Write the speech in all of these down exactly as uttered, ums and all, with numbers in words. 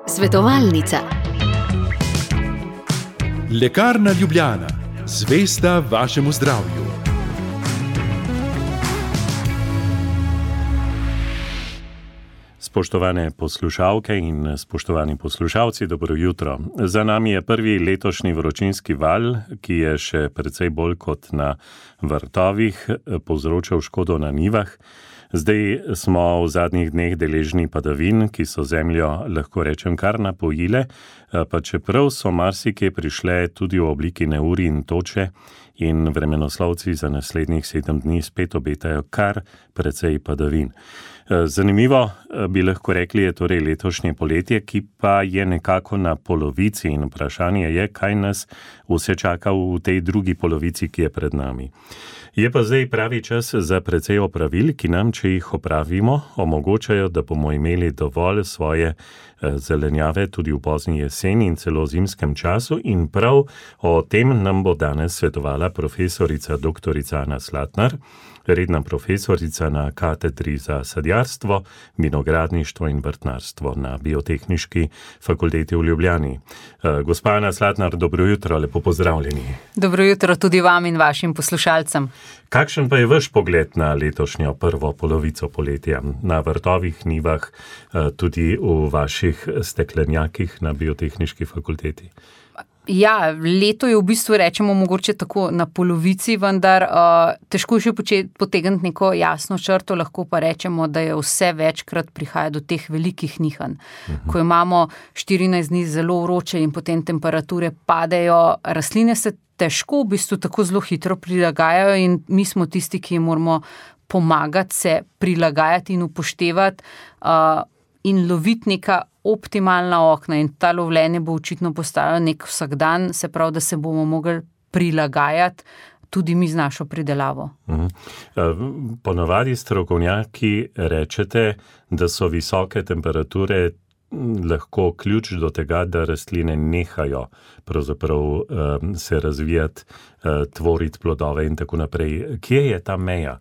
Svetovalnica. Lekarna Ljubljana, zvesta vašemu zdravju. Spoštovane poslušalke in spoštovani poslušalci, dobro jutro. Za nami je prvi letošnji vročinski val, ki je še precej bolj kot na vrtovih povzročal škodo na njivah. Zdaj smo v zadnjih dneh deležni padavin, ki so zemljo, lahko rečem, kar napojile, pa čeprav so marsikje prišle tudi v obliki neurij in toče in vremenoslovci za naslednjih sedem dni spet obetajo kar precej padavin. Zanimivo bi lahko rekli je torej letošnje poletje, ki pa je nekako na polovici in vprašanje je, kaj nas vse čaka v tej drugi polovici, ki je pred nami. Je pa zdaj pravi čas za precej opravil, ki nam, če jih opravimo, omogočajo, da bomo imeli dovolj svoje zelenjave tudi v pozni jeseni in celo zimskem času in prav o tem nam bo danes svetovala profesorica doktorica Ana Slatnar, redna profesorica na katedri za sadjarstvo, vinogradništvo in vrtnarstvo na Biotehniški fakulteti v Ljubljani. Gospa Ana Slatnar, dobro jutro, lepo pozdravljeni. Dobro jutro tudi vam in vašim poslušalcem. Kakšen pa je vaš pogled na letošnjo prvo polovico poletja, na vrtovih, njivah, tudi v vaših steklenjakih na Biotehniški fakulteti? Ja, leto je v bistvu, rečemo, mogoče tako na polovici, vendar uh, težko še potegniti neko jasno črto, lahko pa rečemo, da je vse večkrat prihaja do teh velikih nihanj. Uh-huh. Ko imamo štirinajst dni zelo vroče in potem temperature padejo, rastline se težko v bistvu tako zelo hitro prilagajajo in mi smo tisti, ki moramo pomagati se prilagajati in upoštevati uh, in loviti neka optimalna okna in ta lovljenje bo očitno postalo nek vsakdan, se pravi, da se bomo mogli prilagajati tudi mi z našo pridelavo. Uh-huh. Ponavadi strokovnjaki rečete, da so visoke temperature lahko ključ do tega, da rastline nehajo pravzaprav um, se razvijati, uh, tvoriti plodove in tako naprej. Kje je ta meja?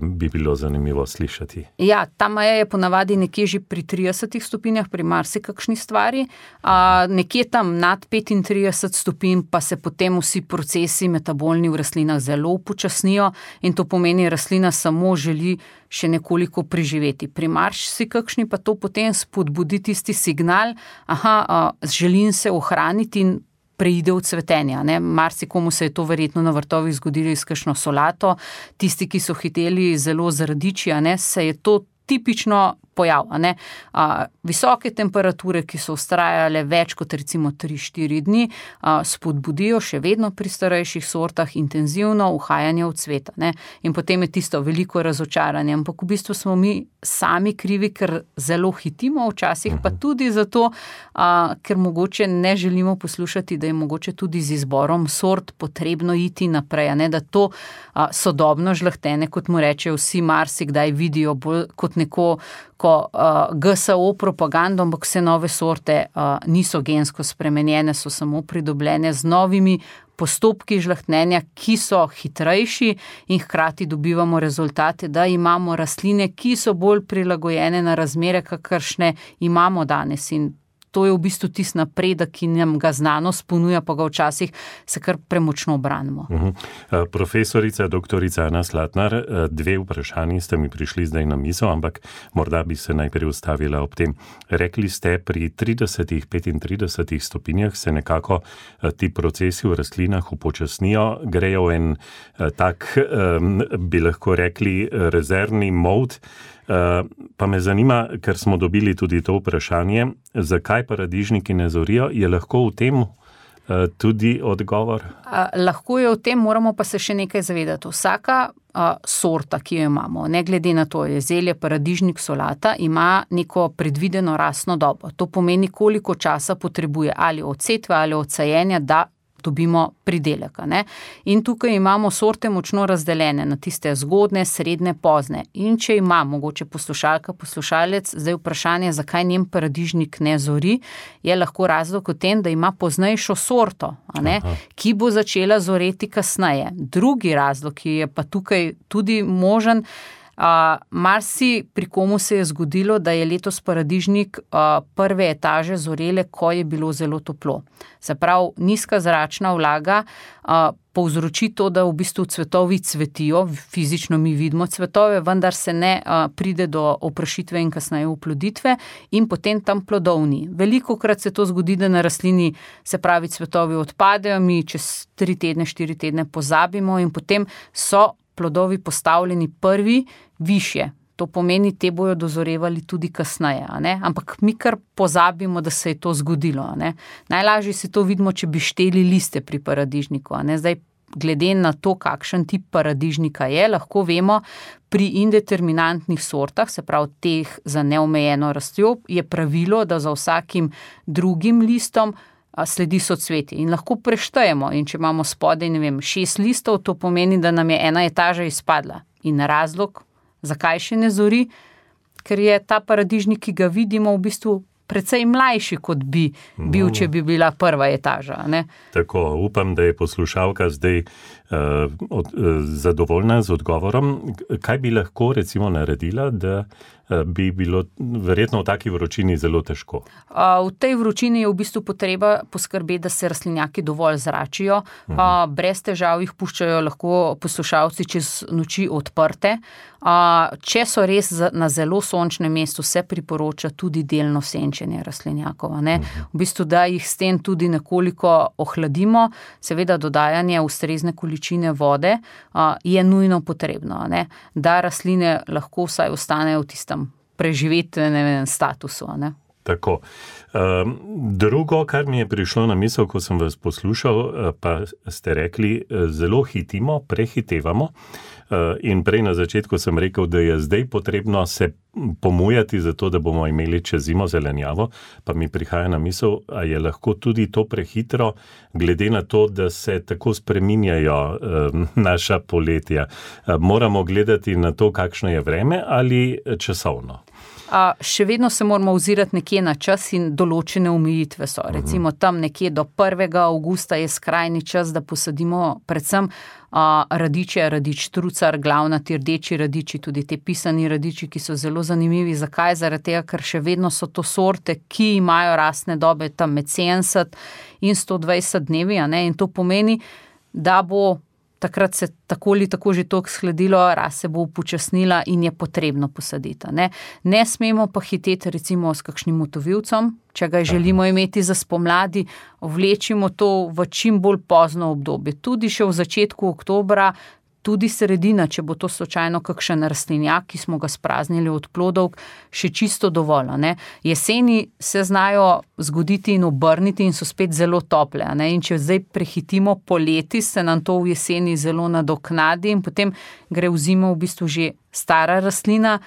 Bi bilo zanimivo slišati. Ja, ta meja je ponavadi nekje že pri tridesetih stopinjah, pri marsikakšni stvari, a nekje tam nad petintrideset stopinj pa se potem vsi procesi metabolni v rastlinah zelo upočasnijo in to pomeni, rastlina samo želi še nekoliko preživeti. Pri marsikakšni pa to potem spodbudi tisti signal, aha, a, želim se ohraniti in preide v cvetenja. Ne? Marsikomu se je to verjetno na vrtovih zgodilo iz kakšno solato. Tisti, ki so hiteli zelo z radiči, a ne, se je to tipično pojav. A ne? A, visoke temperature, ki so vztrajale več kot recimo tri štiri dni, a, spodbudijo še vedno pri starejših sortah intenzivno uhajanje v cvet. Ne? In potem je tisto veliko razočaranje. Ampak v bistvu smo mi sami krivi, ker zelo hitimo včasih, pa tudi zato, a, ker mogoče ne želimo poslušati, da je mogoče tudi z izborom sort potrebno iti naprej. A ne? Da to a, sodobno žlahtenje, kot mu rečejo vsi marsikdaj vidijo bolj kot neko ko uh, G S O propagando, ampak vse nove sorte uh, niso gensko spremenjene, so samo pridobljene z novimi postopki žlahtnenja, ki so hitrejši in hkrati dobivamo rezultate, da imamo rastline, ki so bolj prilagojene na razmere, kakršne imamo danes in to je v bistvu tist napredek, ki nam ga znanost ponuja, pa ga včasih se kar premočno branimo. Uh-huh. Profesorica, doktorica Ana Slatnar, dve vprašanji ste mi prišli zdaj na misel, ampak morda bi se najprej ustavila ob tem. Rekli ste, pri tridesetih, petintridesetih stopinjah se nekako ti procesi v rastlinah upočasnijo, grejo en tak, bi lahko rekli, rezervni mod. Pa me zanima, ker smo dobili tudi to vprašanje, zakaj paradižniki ne zorijo, je lahko v tem tudi odgovor? A, lahko je v tem, moramo pa se še nekaj zavedati. Vsaka a, sorta, ki jo imamo, ne glede na to, je zelje, paradižnik, solata, ima neko predvideno rastno dobo. To pomeni, koliko časa potrebuje ali od setve ali od sajenja, da dobimo pridelek. Ne? In tukaj imamo sorte močno razdeljene na tiste zgodne, srednje, pozne. In če ima mogoče poslušalka, poslušalec, zdaj vprašanje, zakaj njen paradižnik ne zori, je lahko razlog v tem, da ima poznejšo sorto, a ne? Ki bo začela zoreti kasneje. Drugi razlog, ki je pa tukaj tudi možen, Uh, marsi pri komu se je zgodilo, da je letos paradižnik uh, prve etaže zorele, ko je bilo zelo toplo. Se pravi, nizka zračna vlaga uh, povzroči to, da v bistvu cvetovi cvetijo, fizično mi vidimo cvetove, vendar se ne uh, pride do oprašitve in kasneje oploditve in potem tam plodovni. Velikokrat se to zgodi, da na rastlini, se pravi, cvetovi odpadejo, mi čez tri tedne, štiri tedne pozabimo in potem so plodovi postavljeni prvi višje. To pomeni, te bojo dozorevali tudi kasneje, a ne? Ampak mi kar pozabimo, da se je to zgodilo. A ne? Najlažje si to vidimo, če bi šteli liste pri paradižniku. A ne? Zdaj, glede na to, kakšen tip paradižnika je, lahko vemo, pri indeterminantnih sortah, se pravi teh za neomejeno rastjo, je pravilo, da za vsakim drugim listom sledi socvetje in lahko preštejemo. In če imamo spodaj, ne vem, šest listov, to pomeni, da nam je ena etaža izpadla. In razlog, zakaj še ne zori? Ker je ta paradižnik, ki ga vidimo, v bistvu precej mlajši, kot bi bil, če bi bila prva etaža. Ne? Tako, upam, da je poslušalka zdaj uh, od, uh, zadovoljna z odgovorom. Kaj bi lahko recimo naredila, da bi bilo verjetno v taki vročini zelo težko? V tej vročini je v bistvu potreba poskrbeti, da se rastlinjaki dovolj zračijo. Uh-huh. Brez težav jih puščajo lahko poslušalci čez noči odprte. Če so res na zelo sončnem mestu, se priporoča tudi delno senčenje rastlinjakov. Ne? Uh-huh. V bistvu, da jih s tem tudi nekoliko ohladimo, seveda dodajanje ustrezne količine vode je nujno potrebno, ne? Da rastline lahko vsaj ostanejo v tistem preživetvenem statusu. Ne? Tako. Um, drugo, kar mi je prišlo na misel, ko sem vas poslušal, pa ste rekli, zelo hitimo, prehitevamo. Uh, in prej na začetku sem rekel, da je zdaj potrebno se pomujati za to, da bomo imeli čez zimo zelenjavo, pa mi prihaja na misel, a je lahko tudi to prehitro, glede na to, da se tako spreminjajo uh, naša poletja. Uh, moramo gledati na to, kakšno je vreme ali časovno. A, še vedno se moramo ozirati nekje na čas in določene omejitve so. Recimo tam nekje do prvega avgusta je skrajni čas, da posadimo predvsem a, radiče, radič trucar, glavnati rdeči radiči, tudi te pisani radiči, ki so zelo zanimivi. Zakaj? Zaradi tega, ker še vedno so to sorte, ki imajo rastne dobe tam med sedemdeset in sto dvajset dnevi, a ne? In to pomeni, da bo takrat se tako ali tako že toliko shladilo, rast se bo upočasnila in je potrebno posaditi. Ne, ne smemo pa hiteti recimo s kakšnim motovilcem, če ga želimo imeti za spomladi, vlečimo to v čim bolj pozno obdobje. Tudi še v začetku oktobra, tudi sredina, če bo to slučajno kakšen rastlinjak, ki smo ga spraznili od plodov, še čisto dovolj. Ne? Jeseni se znajo zgoditi in obrniti in so spet zelo tople. Ne? In če zdaj prehitimo poleti, se nam to v jeseni zelo nadoknadi in potem gre v zimo v bistvu že stara rastlina,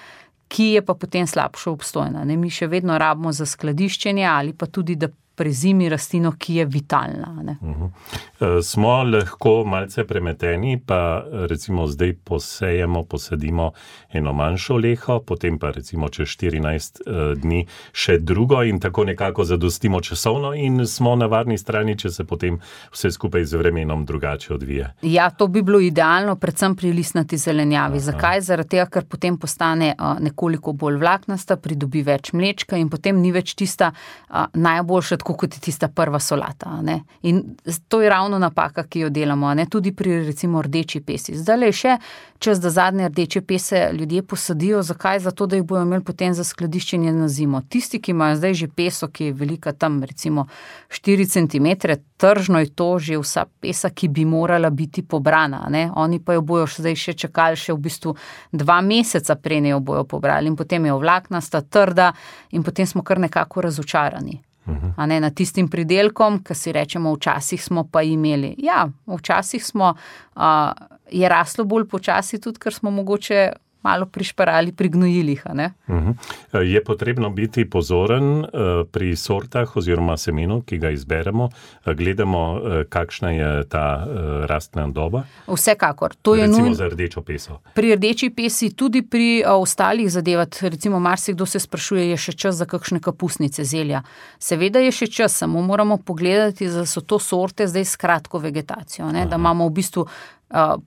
ki je pa potem slabšo obstojna. Ne? Mi še vedno rabimo za skladiščenje ali pa tudi, da prezimi rastlino, ki je vitalna. Ne? Uh-huh. Smo lahko malce premeteni, pa recimo zdaj posejemo, posadimo eno manjšo leho, potem pa recimo čez štirinajst uh, dni še drugo in tako nekako zadostimo časovno in smo na varni strani, če se potem vse skupaj z vremenom drugače odvije. Ja, to bi bilo idealno, predvsem pri listnati zelenjavi. Aha. Zakaj? Zaradi tega, ker potem postane uh, nekoliko bolj vlaknasta, pridobi več mlečka in potem ni več tista uh, najboljša, tako kot je tista prva solata. Ne? In to je ravno napaka, ki jo delamo, ne? Tudi pri recimo rdeči pesi. Zdaj je še čas, da zadnje rdeče pese ljudje posadijo. Zakaj? Zato, da jih bojo imeli potem za skladiščenje na zimo. Tisti, ki imajo zdaj že peso, ki je velika tam recimo štiri centimetre, tržno je to že vsa pesa, ki bi morala biti pobrana. Ne? Oni pa jo bojo zdaj še čakali še v bistvu dva meseca, prej ne jo bojo pobrali in potem je vlaknasta, trda in potem smo kar nekako razočarani. Uh-huh. A ne, na tistim pridelkom, ki si rečemo, včasih smo pa imeli. Ja, včasih smo, uh, je raslo bolj počasi tudi, ker smo mogoče malo prišparali pri gnojilih, a ne? Uh-huh. Je potrebno biti pozoren uh, pri sortah oziroma semenu, ki ga izberemo, uh, gledamo, uh, kakšna je ta uh, rastna doba? Vsekakor. To je recimo nuj... za rdečo peso. Pri rdeči pesi, tudi pri uh, ostalih zadevah, recimo marsikdo se sprašuje, je še čas za kakšne kapusnice, zelja. Seveda je še čas, samo moramo pogledati, da so to sorte zdaj s kratko vegetacijo, ne? Da imamo v bistvu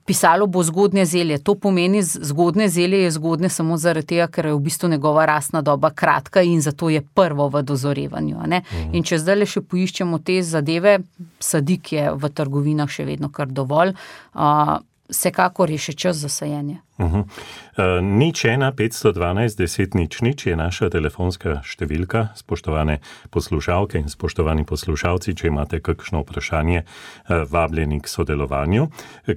pisalo bo zgodnje zelje. To pomeni, zgodnje zelje je zgodnje samo zaradi tega, ker je v bistvu njegova rastna doba kratka in zato je prvo v dozorevanju. Ne? Mhm. In če zdaj le še poiščemo te zadeve, sadik je v trgovinah še vedno kar dovolj, uh, vsekakor je še čas za sajenje. Uh-huh. Uh, nič ena, petsto dvanajst, deset nič nič je naša telefonska številka, spoštovane poslušalke in spoštovani poslušalci, če imate kakšno vprašanje, uh, vabljeni k sodelovanju.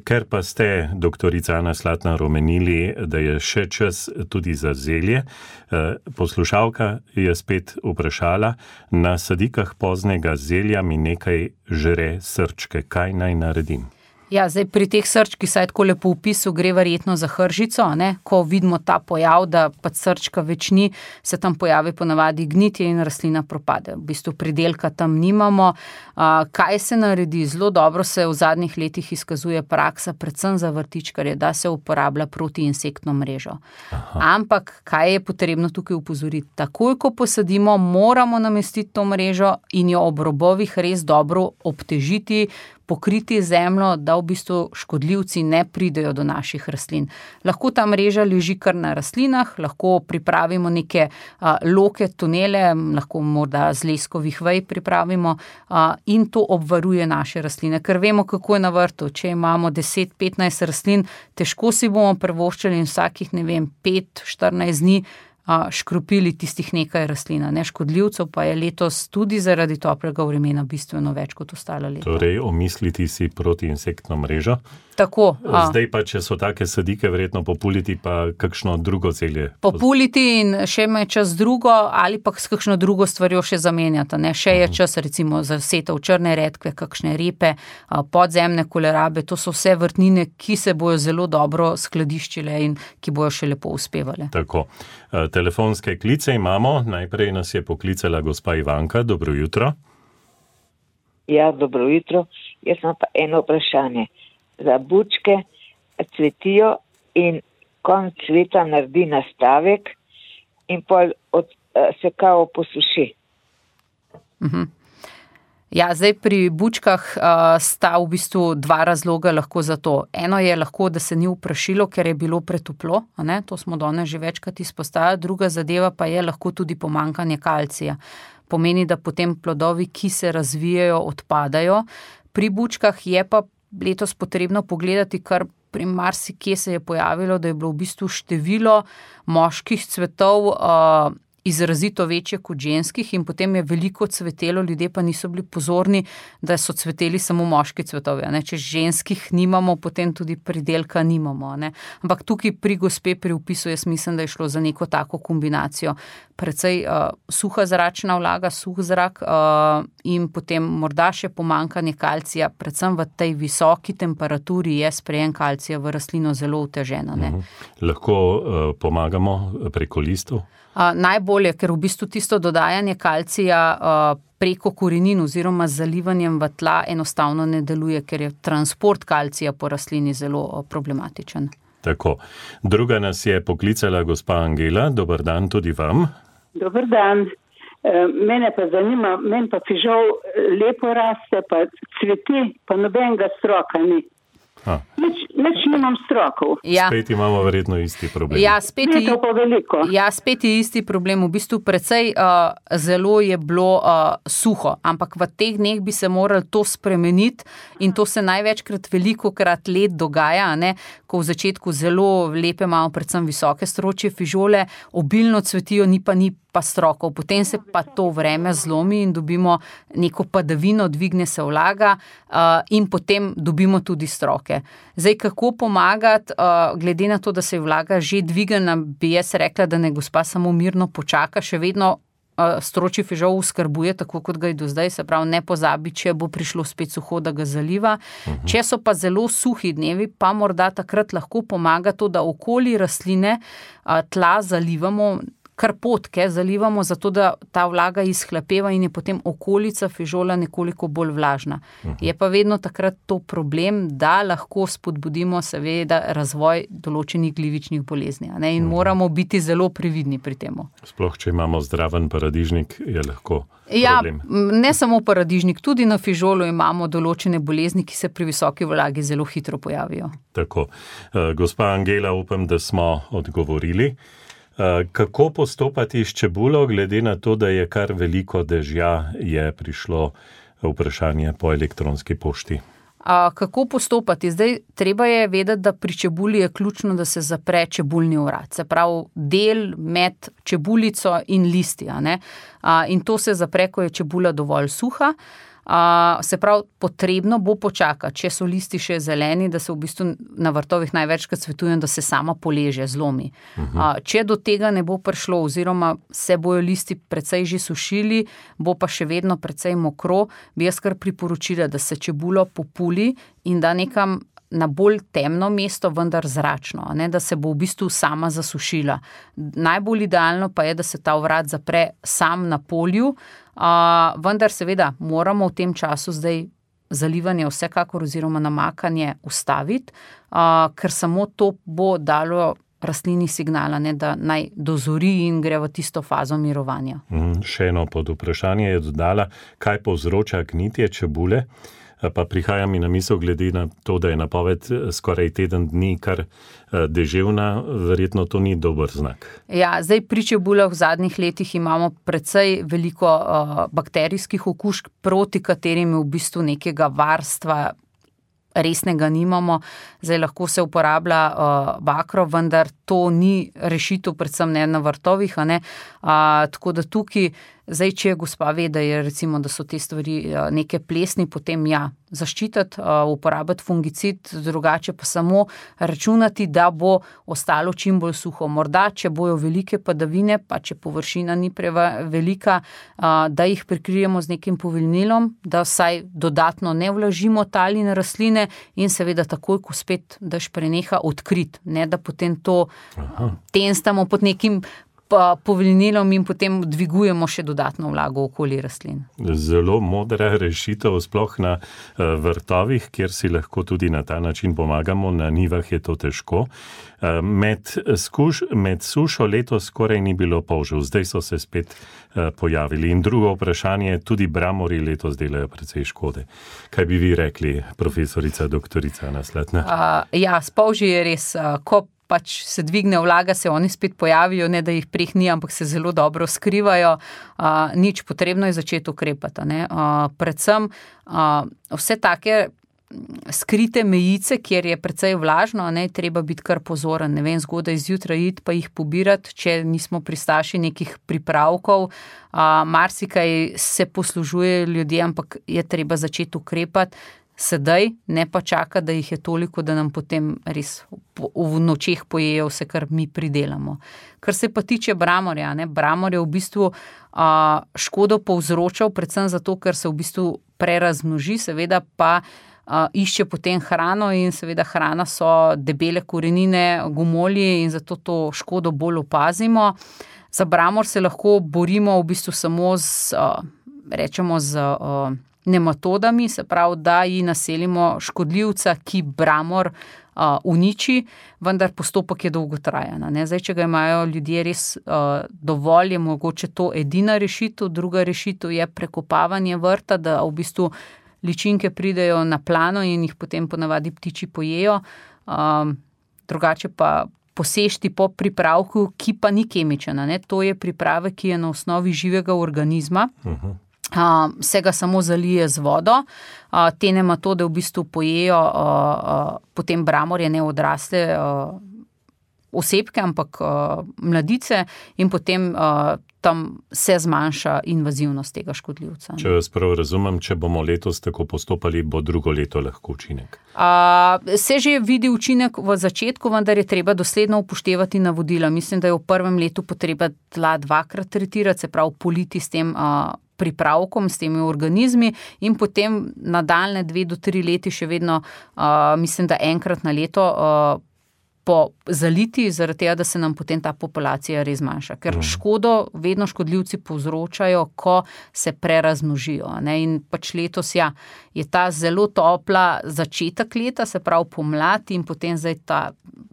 Ker pa ste, doktorica Ana Slatnar, omenili, da je še čas tudi za zelje, uh, poslušalka je spet vprašala, na sadikah poznega zelja mi nekaj žre srčke, kaj naj naredim? Ja, zdaj pri teh srčki, saj tako lepo v opisu, gre verjetno za hržico, ne? Ko vidimo ta pojav, da pa srčka več ni, se tam pojavi ponavadi gnitje in rastlina propade. V bistvu pridelka tam nimamo. Uh, kaj se naredi? Zelo dobro se v zadnjih letih izkazuje praksa, predvsem za vrtičkarje, da se uporablja protiinsektno mrežo. Aha. Ampak kaj je potrebno tukaj upozoriti? Takoj, ko posadimo, moramo namestiti to mrežo in jo ob robovih res dobro obtežiti, pokriti zemljo, da v bistvu škodljivci ne pridejo do naših rastlin. Lahko ta mreža leži kar na rastlinah, lahko pripravimo neke a, loke, tunele, lahko morda z leskovih vej pripravimo a, in to obvaruje naše rastline. Ker vemo, kako je na vrtu. Če imamo deset petnajst rastlin, težko si bomo privoščili in vsakih, ne vem, pet štirinajst dni škropili tistih nekaj rastlina. Ne, škodljivcev pa je letos tudi zaradi toplega vremena bistveno več kot ostala leta. Torej, omisliti si protiinsektno mrežo. Tako. A. Zdaj pa, če so take sadike, verjetno populiti pa kakšno drugo zelje. Populiti in še ima čas drugo ali pa s kakšno drugo stvarjo še zamenjati. Ne? Še je čas recimo za setev črne redkve, kakšne repe, podzemne kolerabe. To so vse vrtnine, ki se bojo zelo dobro skladiščile in ki bojo še lepo uspevale. Tako. Telefonske klice imamo. Najprej nas je poklicala gospa Ivanka. Dobro jutro. Ja, dobro jutro. Jaz imam pa eno vprašanje. Za bučke cvetijo in konc cveta naredi nastavek in pol od, se kao posuši. Uh-huh. Ja, zdaj pri bučkah uh, sta v bistvu dva razloga lahko za to. Eno je lahko, da se ni uprašilo, ker je bilo pretoplo, a ne? To smo danes že večkrat izpostavili. Druga zadeva pa je lahko tudi pomanjkanje kalcija. Pomeni, da potem plodovi, ki se razvijajo, odpadajo. Pri bučkah je pa letos potrebno pogledati, kar pri marsikje se je pojavilo, da je bilo v bistvu število moških cvetov uh, izrazito večje kot ženskih in potem je veliko cvetelo, ljudje pa niso bili pozorni, da so cveteli samo moški cvetovi. Ne? Če ženskih nimamo, potem tudi pridelka nimamo. Ne? Ampak tukaj pri gospe pri opisu jaz mislim, da je šlo za neko tako kombinacijo. Precej uh, suha zračna vlaga, suh zrak uh, in potem morda še pomanjkanje kalcija, predvsem v tej visoki temperaturi je sprejem kalcija v rastlino zelo oteženo. Ne? Mhm. Lahko uh, pomagamo preko listov? Uh, najbolje, ker v bistvu tisto dodajanje kalcija uh, preko korenin oziroma z zalivanjem v tla enostavno ne deluje, ker je transport kalcija po rastlini zelo uh, problematičen. Tako. Druga nas je poklicala gospa Angela. Dobar dan tudi vam. Dobar dan. E, mene pa zanima, meni pa fižol lepo raste, pa cveti, pa nobenega stroka ni. Nič, nič nimam strokov. Ja. Spet imamo verjetno isti problem. Ja, spet je, to pa veliko. Ja, spet je isti problem. V bistvu precej uh, zelo je bilo uh, suho, ampak v teh dneh bi se morali to spremeniti in to se največkrat veliko krat let dogaja, ne? Ko v začetku zelo lepe imamo predvsem visoke stročje fižole, obilno cvetijo, ni pa ni pa strokov. Potem se pa to vreme zlomi in dobimo neko padavino, dvigne se vlaga uh, in potem dobimo tudi stroke. Zdaj, kako pomagati, uh, glede na to, da se je vlaga že dvigana, bi jaz rekla, da ne gospa samo mirno počaka, še vedno uh, stročji fižol skrbuje, tako kot ga je do zdaj, se pravi, ne pozabi, če bo prišlo spet suho, da ga zaliva. Uh-huh. Če so pa zelo suhi dnevi, pa morda takrat lahko pomaga to, da okoli rastline uh, tla zalivamo karpotke zalivamo zato, da ta vlaga izhlapeva in je potem okolica fižola nekoliko bolj vlažna. Je pa vedno takrat to problem, da lahko spodbudimo seveda razvoj določenih glivičnih bolezni, ne? In moramo biti zelo previdni pri temu. Sploh, če imamo zdraven paradižnik, je lahko ja, problem. Ne samo paradižnik, tudi na fižolu imamo določene bolezni, ki se pri visoki vlagi zelo hitro pojavijo. Tako. Gospa Angela, upam, da smo odgovorili. Kako postopati s čebulo, glede na to, da je kar veliko dežja, je prišlo vprašanje po elektronski pošti? A, kako postopati? Zdaj, treba je vedeti, da pri čebuli je ključno, da se zapre čebulni vrat. Se pravi, del med čebulico in listi, a ne? A, in to se zapre, ko je čebula dovolj suha. A, se pravi, potrebno bo počakati, če so listi še zeleni, da se v bistvu na vrtovih največkrat svetujem, da se sama poleže, zlomi. Uh-huh. A, če do tega ne bo prišlo, oziroma se bojo listi precej že sušili, bo pa še vedno precej mokro, bi jaz kar priporočila, da se čebulo populi in da nekam na bolj temno mesto, vendar zračno, ne, da se bo v bistvu sama zasušila. Najbolj idealno pa je, da se ta vrat zapre sam na polju, uh, vendar seveda moramo v tem času zdaj zalivanje vsekakor oziroma namakanje ustaviti, uh, ker samo to bo dalo rastlini signala, ne, da naj dozori in gre v tisto fazo mirovanja. Mm, še eno pod vprašanje je dodala, kaj povzroča gnitje čebule. Pa prihaja mi na misel glede na to, da je napoved skoraj teden dni kar deževna, verjetno to ni dober znak. Ja, zdaj pri čebulah v zadnjih letih imamo precej veliko uh, bakterijskih okužb, proti katerim v bistvu nekega varstva resnega nimamo. Zdaj lahko se uporablja uh, bakro, vendar to ni rešitev, predvsem ne na vrtovih, a ne. Uh, tako da tukaj, zdaj, če gospa ve, da je recimo, da so te stvari uh, neke plesni, potem ja, zaščititi, uh, uporabiti fungicid, drugače pa samo računati, da bo ostalo čim bolj suho. Morda, če bojo velike padavine, pa če površina ni prevelika, uh, da jih prekrijemo z nekim povilnilom, da vsaj dodatno ne vlažimo tal in rastline in seveda takoj, ko spet dež preneha, odkrit, ne da potem to Aha. tenstamo pod nekim povilnilom in potem dvigujemo še dodatno vlago okoli rastlin. Zelo modra rešitev, sploh na vrtovih, kjer si lahko tudi na ta način pomagamo, na nivah je to težko. Med, skuš, med sušo letos skoraj ni bilo polžev, zdaj so se spet pojavili. In drugo vprašanje, tudi bramori letos delajo precej škode. Kaj bi vi rekli, profesorica, doktorica Nasletna? Uh, ja, s polži je res, uh, ko pač se dvigne vlaga, se oni spet pojavijo, ne da jih preh ni, ampak se zelo dobro skrivajo. Uh, nič, potrebno je začeti ukrepati. Ne? Uh, predvsem uh, vse take skrite mejice, kjer je precej vlažno, ne, treba biti kar pozoren, ne vem, zgodaj zjutraj iti pa jih pobirati, če nismo pristaši nekih pripravkov. Uh, marsikaj se poslužuje ljudje, ampak je treba začeti ukrepati sedaj, ne pa čaka, da jih je toliko, da nam potem res v nočeh pojejo vse, kar mi pridelamo. Kar se pa tiče bramorja, ne, bramor je v bistvu uh, škodo povzročal, predvsem zato, ker se v bistvu prerazmnoži, seveda pa uh, išče potem hrano in seveda hrana so debele korenine, gomolji in zato to škodo bolj opazimo. Za bramor se lahko borimo v bistvu samo z, uh, rečemo z uh, nematodami, se pravi, da ji naselimo škodljivca, ki bramor uh, uniči, vendar postopek je dolgotrajen. Ne? Zdaj, če ga imajo ljudje res uh, dovolj, je mogoče to edina rešitev, druga rešitev je prekopavanje vrta, da v bistvu ličinke pridejo na plano in jih potem ponavadi ptiči pojejo. Um, drugače pa posešti po pripravku, ki pa ni kemičen. Ne? To je pripravek, ki je na osnovi živega organizma. Uh-huh. Uh, se ga samo zalije z vodo, uh, te nematode v bistvu pojejo uh, uh, potem bramorje, ne odrasle uh, osebke, ampak uh, mladice in potem uh, tam se zmanjša invazivnost tega škodljivca. Če vas prav razumem, če bomo letos tako postopali, bo drugo leto lahko učinek? Uh, se že vidi učinek v začetku, vendar je treba dosledno upoštevati navodila. Mislim, da je v prvem letu potreba tla dvakrat tretirati, se pravi politi s tem uh, pripravkom, s temi organizmi in potem nadaljne dve do tri leti še vedno, uh, mislim, da enkrat na leto uh, po zaliti, zaradi tega, da se nam potem ta populacija res manjša. Ker škodo vedno škodljivci povzročajo, ko se prerazmnožijo. Ne? In pač letos ja, je ta zelo topla začetek leta, se pravi pomlad in potem zdaj ta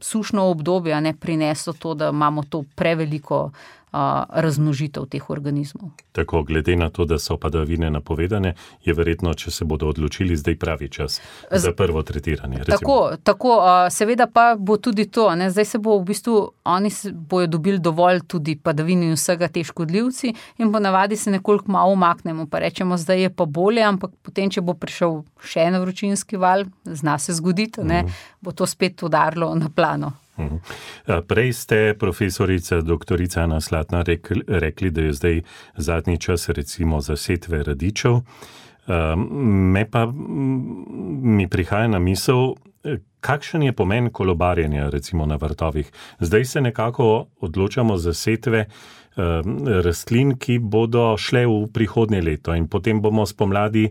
sušno obdobje ne prineslo to, da imamo to preveliko razmnožitev teh organizmov. Tako, glede na to, da so padavine napovedane, je verjetno, če se bodo odločili, zdaj pravi čas za prvo tretiranje. Recimo. Tako, tako, seveda pa bo tudi to, ne, zdaj se bo v bistvu, oni bojo dobili dovolj tudi padavin in vsega te škodljivci in ponavadi se nekoliko malo umaknemo, pa rečemo, zdaj je pa bolje, ampak potem, če bo prišel še en vročinski val, zna se zgoditi, ne, mm. bo to spet udarilo na plano. Prej ste, profesorica doktorica Ana Slatna, rekli, rekli, da je zdaj zadnji čas recimo za setve radičev. Me pa mi prihaja na misel, kakšen je pomen kolobarjenja recimo na vrtovih. Zdaj se nekako odločamo za setve rastlin, ki bodo šle v prihodnje leto in potem bomo spomladi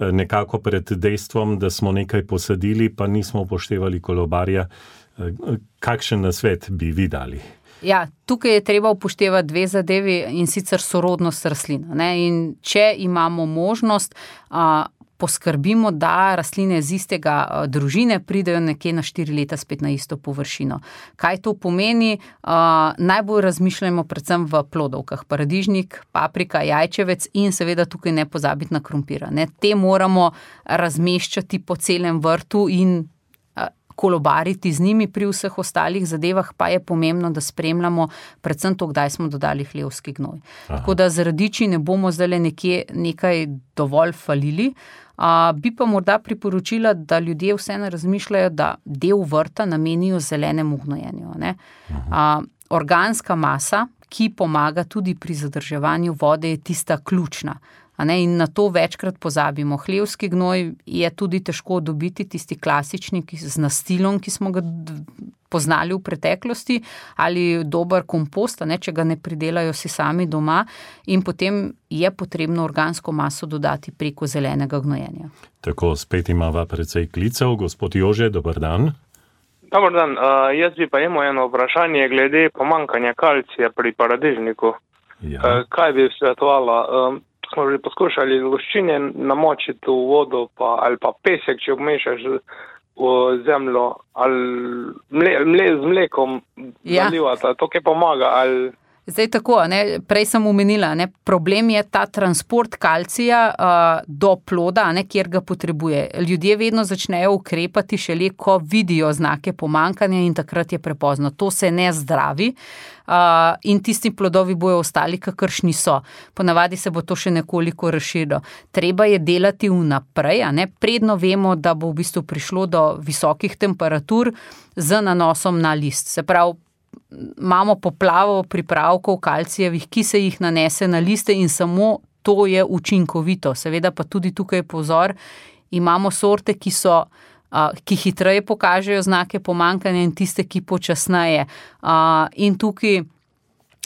nekako pred dejstvom, da smo nekaj posadili, pa nismo upoštevali kolobarja. Kakšen nasvet bi vi dali? Ja, tukaj je treba upoštevati dve zadevi in sicer sorodnost rastlina. Ne? In če imamo možnost, a, poskrbimo, da rastline z istega a, družine pridejo nekje na štiri leta spet na isto površino. Kaj to pomeni? A, najbolj razmišljamo predvsem v plodovkah. Paradižnik, paprika, jajčevec in seveda tukaj ne pozabiti na krompira. Ne? Te moramo razmeščati po celem vrtu in kolobariti z njimi, pri vseh ostalih zadevah pa je pomembno, da spremljamo predvsem to, kdaj smo dodali hlevski gnoj. Aha. Tako da z radiči ne bomo zdaj nekje nekaj dovolj falili. A, bi pa morda priporočila, da ljudje vseeno razmišljajo, da del vrta namenijo zelenemu gnojenju. Ne? A, organska masa, ki pomaga tudi pri zadrževanju vode, je tista ključna. A ne, in na to večkrat pozabimo. Hlevski gnoj je tudi težko dobiti, tisti klasični ki, z nastilom, ki smo ga poznali v preteklosti, ali dober kompost, a ne, če ga ne pridelajo si sami doma, in potem je potrebno organsko maso dodati preko zelenega gnojenja. Tako, spet imava precej klicev. Gospod Jože, dober dan. Dobar dan, uh, jaz bi pa imel eno vprašanje glede pomankanja kalcija pri paradižniku. Ja. Uh, kaj bi svetovala? Uh, smo že poskušali luščine namočiti v vodo pa, ali pa pesek, če obmešaš v zemljo, ali mle, mle, z mlekom ja. zalivati, to kaj pomaga, ali... Zdaj tako, ne, prej sem omenila, ne, problem je ta transport kalcija uh, do ploda, ne, kjer ga potrebuje. Ljudje vedno začnejo ukrepati šele, ko vidijo znake pomankanja in takrat je prepozno. To se ne zdravi uh, in tisti plodovi bojo ostali, kakršni so. Ponavadi se bo to še nekoliko razširilo. Treba je delati vnaprej, a ne, predno vemo, da bo v bistvu prišlo do visokih temperatur z nanosom na list. Se pravi, imamo poplavo pripravkov kalcijevih, ki se jih nanese na liste in samo to je učinkovito. Seveda pa tudi tukaj pozor, imamo sorte, ki so, ki hitreje pokažejo znake pomankanja in tiste, ki počasneje. In tukaj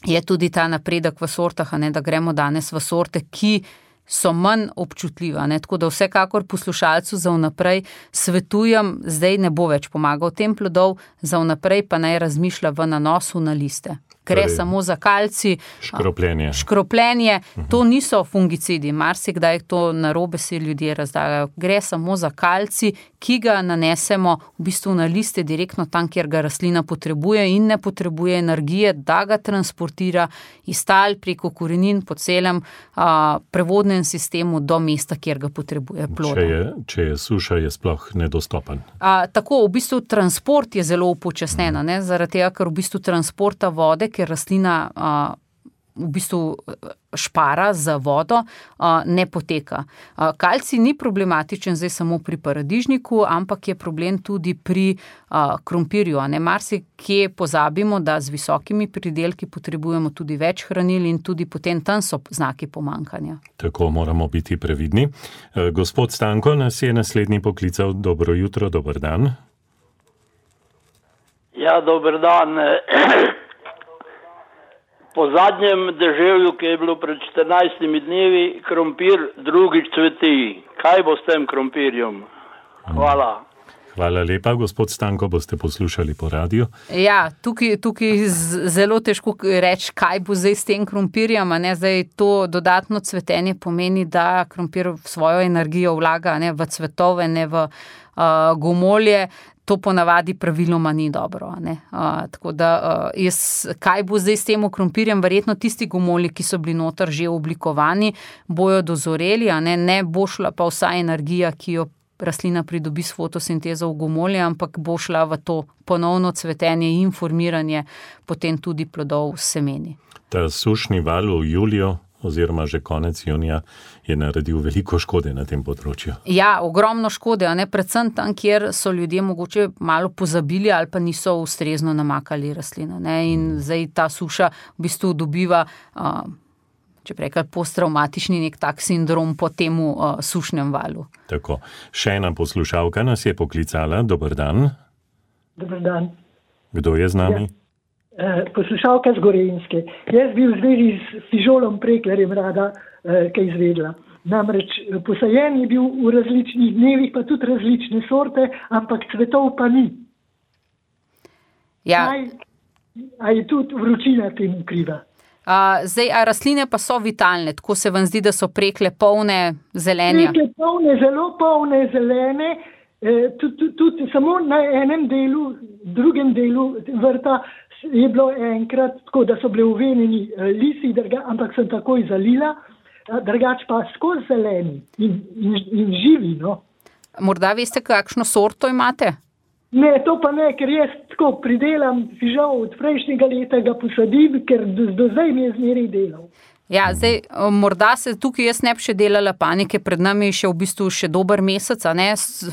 je tudi ta napredek v sortah, a ne, da gremo danes v sorte, ki so manj občutljiva. Ne? Tako da vsekakor poslušalcu za vnaprej svetujem, zdaj ne bo več pomagal tem plodov, za vnaprej pa naj razmišlja v nanosu na liste. Gre torej, samo za kalcij. Škropljenje. Škropljenje, to niso fungicidi, marsikdaj to narobe si ljudje razdagajo. Gre samo za kalcij, ki ga nanesemo v bistvu na liste direktno tam, kjer ga rastlina potrebuje in ne potrebuje energije, da ga transportira iz tal preko korenin po celem a, prevodnem sistemu do mesta, kjer ga potrebuje ploda. Če je, če je suša, je sploh nedostopen. A, tako, v bistvu transport je zelo upočasnjen, ne, zaradi tega, ker v bistvu transporta vode, ker rastlina a, v bistvu špara za vodo, a, ne poteka. A, kalcij ni problematičen zdaj samo pri paradižniku, ampak je problem tudi pri a, krompirju. Ne, marsikje pozabimo, da z visokimi pridelki potrebujemo tudi več hranil in tudi potem tam so znaki pomankanja. Tako moramo biti previdni. E, gospod Stanko nas je naslednji poklical. Dobro jutro, dober dan. Ja, dober dan. Po zadnjem deževju, ki je bilo pred štirinajstimi dnevi, krompir drugič cveti. Kaj bo s tem krompirjem? Hvala. Hvala lepa, gospod Stanko, boste poslušali po radiju. Ja, tukaj, tukaj zelo težko reči, kaj bo zdaj s tem krompirjem. Ne? Zdaj to dodatno cvetenje pomeni, da krompir svojo energijo vlaga ne v cvetove, ne v uh, gomolje. To ponavadi praviloma ni dobro. Ne? Uh, tako da uh, jaz, kaj bo zdaj s tem krompirjem, verjetno tisti gomolji, ki so bili noter že oblikovani, bojo dozoreli, a ne, ne bo šla pa vsa energija, ki jo rastlina pridobi s fotosintezo v gomolje, ampak bo šla v to ponovno cvetenje in formiranje potem tudi plodov s semeni. Ta sušni val v juliju oziroma že konec junija je naredil veliko škode na tem področju. Ja, ogromno škode, a ne, predvsem tam, kjer so ljudje mogoče malo pozabili ali pa niso ustrezno namakali rastlina. Ne? In hmm. zdaj ta suša v bistvu dobiva, uh, če prekaj, posttraumatični nek tak sindrom po temu uh, sušnem valu. Tako, še ena poslušalka nas je poklicala. Dober dan. Dober dan. Kdo je z nami? Ja. Poslušalka z Gorenjske. Jaz bi v zvezi s fižolom preklerjem rada eh, kaj izvedla. Namreč posajen je bil v različnih dnevih, pa tudi različne sorte, ampak cvetov pa ni. Ja. Aj, a je tudi vročina temu kriva? A, zdaj, a rastline pa so vitalne, tako se vam zdi, da so prekle polne zelenja? Prekle polne, zelo polne zelene, eh, tudi, tudi, tudi samo na enem delu, drugem delu vrta je bilo enkrat tako, da so bile uvenjeni lisi, drga, ampak sem takoj zalila, drugač pa skozi zeleni in, in, in živi. No. Morda veste, kakšno sorto imate? Ne, to pa ne, ker jaz tako pridelam fižol od prejšnjega leta, ga posadim, ker do, do zdaj mi je zmeraj delal. Ja, zdaj, morda se tukaj jaz ne bi še delala panike, pred nami je še v bistvu še dober mesec, a ne,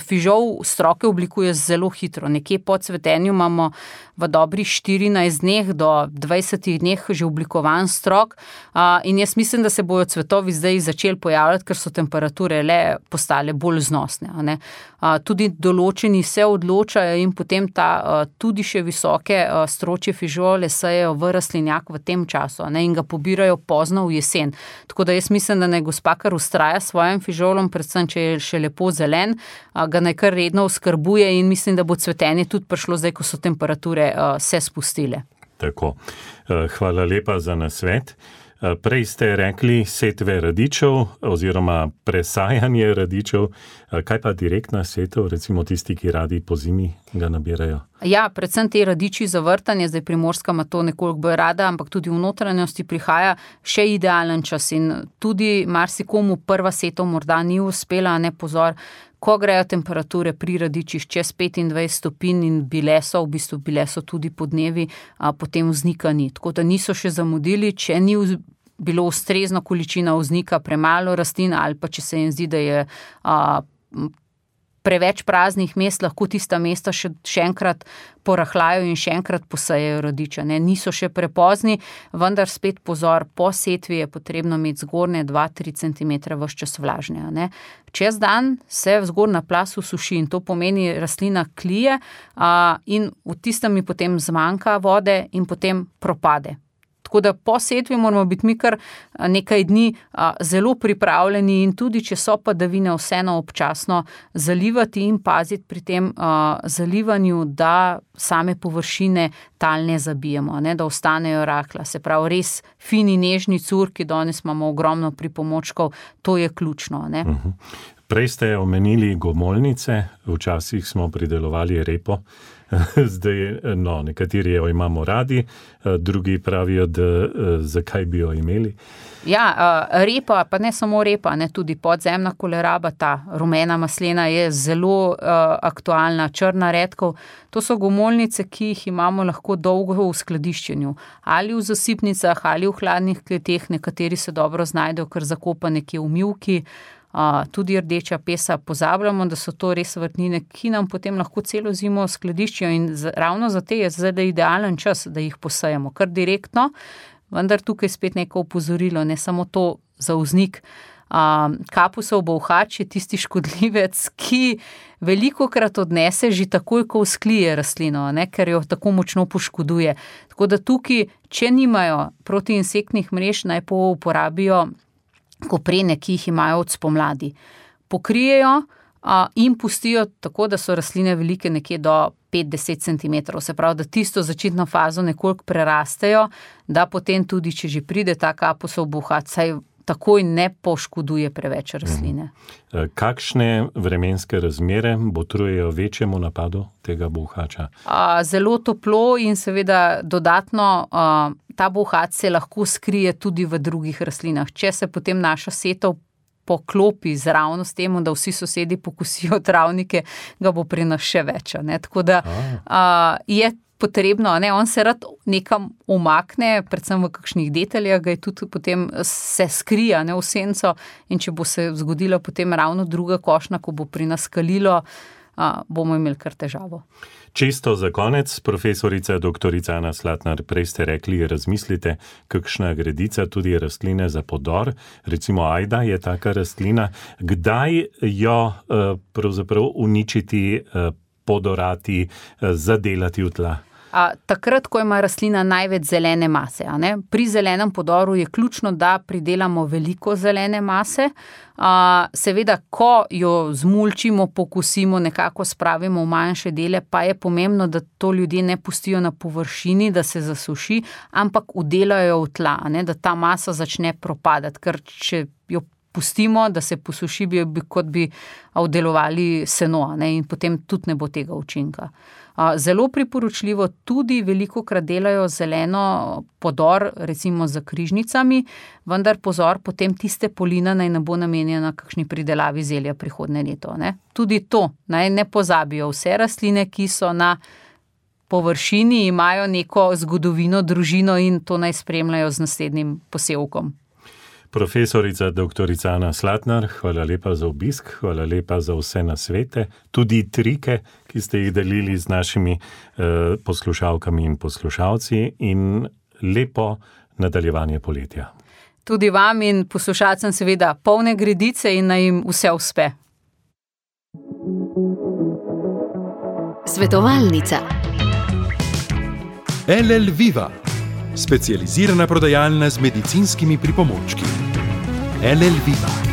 fižol stroke oblikuje zelo hitro, nekje po cvetenju imamo v dobrih štirinajst dneh do dvajsetih dneh že oblikovan strok a, in jaz mislim, da se bojo cvetovi zdaj začeli pojavljati, ker so temperature le postale bolj znosne, a ne. A, tudi določeni se odločajo in potem ta a, tudi še visoke a, stročje fižole sejejo v rastlinjak v tem času, a ne, in ga pobirajo pozno v jesen. Tako da jaz mislim, da naj gospa kar ustraja s svojim fižolom, predvsem, če je še lepo zelen, a, ga naj kar redno oskrbuje in mislim, da bo cvetenje tudi prišlo zdaj, ko so temperature a, se spustile. Tako. Hvala lepa za nasvet. Prej ste rekli setve radičev oziroma presajanje radičev. Kaj pa direktna setev, recimo tisti, ki radi po zimi ga nabirajo? Ja, predvsem te radiči za vrtanje, zdaj Primorska ima to nekoliko bolj rada, ampak tudi v notranjosti prihaja še idealen čas in tudi marsikomu prva setev morda ni uspela, ne pozor, ko grejo temperature pri radičih čez petindvajset stopinj in bile so, v bistvu bile so tudi podnevi, a potem vznika ni. Tako da niso še zamudili, če ni bilo ustrezna količina vznika, premalo rastlin ali pa če se jim zdi, da je a, preveč praznih mest, lahko tista mesta še, še enkrat porahljajo in še enkrat posejejo radiča. Ne? Niso še prepozni, vendar spet pozor, po setvi je potrebno imeti zgornje dva do tri centimetre ves čas vlažne. Ne? Čez dan se zgornja plas usuši in to pomeni rastlina klije a, in v tistem mi potem zmanjka vode in potem propade. Tako da po setvi moramo biti mi kar nekaj dni a, zelo pripravljeni in tudi, če so padavine, vseeno občasno zalivati in paziti pri tem a, zalivanju, da same površine tal ne zabijemo, ne, da ostanejo rahla. Se pravi, res fini, nežni curki, danes imamo ogromno pripomočkov, to je ključno. Ne. Uh-huh. Prej ste omenili gomolnice, včasih smo pridelovali repo. Zdaj, no, nekateri jo imamo radi, drugi pravijo, da zakaj bi jo imeli. Ja, repa, pa ne samo repa, ne, tudi podzemna koleraba, ta rumena maslena je zelo uh, aktualna, črna redkov. To so gomolnice, ki jih imamo lahko dolgo v skladiščenju. Ali v zasipnicah, ali v hladnih kleteh, nekateri se dobro znajdejo, kar zakopa nekje v mivki. Uh, tudi rdeča pesa, pozabljamo, da so to res vrtnine, ki nam potem lahko celo zimo skladiščijo in z, ravno za te je zdaj idealen čas, da jih posejemo kar direktno, vendar tukaj spet neko opozorilo, ne samo to za vznik. Uh, kapusov bolhač je tisti škodljivec, ki velikokrat odnese že takoj, ko vzklije rastlino, ne, ker jo tako močno poškoduje. Tako da tukaj, če nimajo protiinsektnih mrež, naj uporabijo koprene, ki jih imajo od spomladi. Pokrijejo, in pustijo tako, da so rastline velike nekje do pet do deset centimetrov. Se pravi, da tisto začetno fazo nekoliko prerastejo, da potem tudi, če že pride ta kapusov buhat, saj takoj ne poškoduje preveč rastline. Kakšne vremenske razmere botrujejo večjemu napadu tega buhača? Zelo toplo in seveda dodatno ta buhat se lahko skrije tudi v drugih rastlinah. Če se potem naša setov poklopi zravno s tem, da vsi sosedi pokosijo travnike, ga bo pri nas še več. Ne? Tako da a, je potrebno, ne? On se rad nekam umakne, predvsem v kakšnih deteljah, ga je tudi potem se skrija, ne, v senco, in če bo se zgodila potem ravno druga košnja, ko bo pri nas kalilo, a, bomo imeli kar težavo. Čisto za konec, profesorica doktorica Ana Slatnar, prej ste rekli, razmislite, kakšna gredica, tudi rastline za podor, recimo ajda je taka rastlina, kdaj jo pravzaprav uničiti, podorati, zadelati v tla? A, takrat, ko ima rastlina največ zelene mase. A ne? Pri zelenem podoru je ključno, da pridelamo veliko zelene mase. A, seveda, ko jo zmulčimo, pokusimo, nekako spravimo v manjše dele, pa je pomembno, da to ljudje ne pustijo na površini, da se zasuši, ampak udelajo v tla, a ne? Da ta masa začne propadati, ker če jo pustimo, da se posuši, bi, bi, kot bi vdelovali seno, a ne? In potem tudi ne bo tega učinka. Zelo priporočljivo, tudi velikokrat delajo zeleno podor, recimo za križnicami, vendar pozor, potem tiste polina naj ne bo namenjena kakšni pridelavi zelja prihodnje leto. Ne? Tudi to, naj ne pozabijo, vse rastline, ki so na površini, imajo neko zgodovino, družino in to naj spremljajo z naslednjim posevkom. Profesorica doktorica Ana Slatnar, hvala lepa za obisk, hvala lepa za vse nasvete, tudi trike, ki ste jih delili z našimi eh, poslušalkami in poslušalci, in lepo nadaljevanje poletja. Tudi vam in poslušalcem seveda polne gredice in naj jim vse uspe. Svetovalnica. L L Viva, specializirana prodajalna z medicinskimi pripomočki. L L Viva.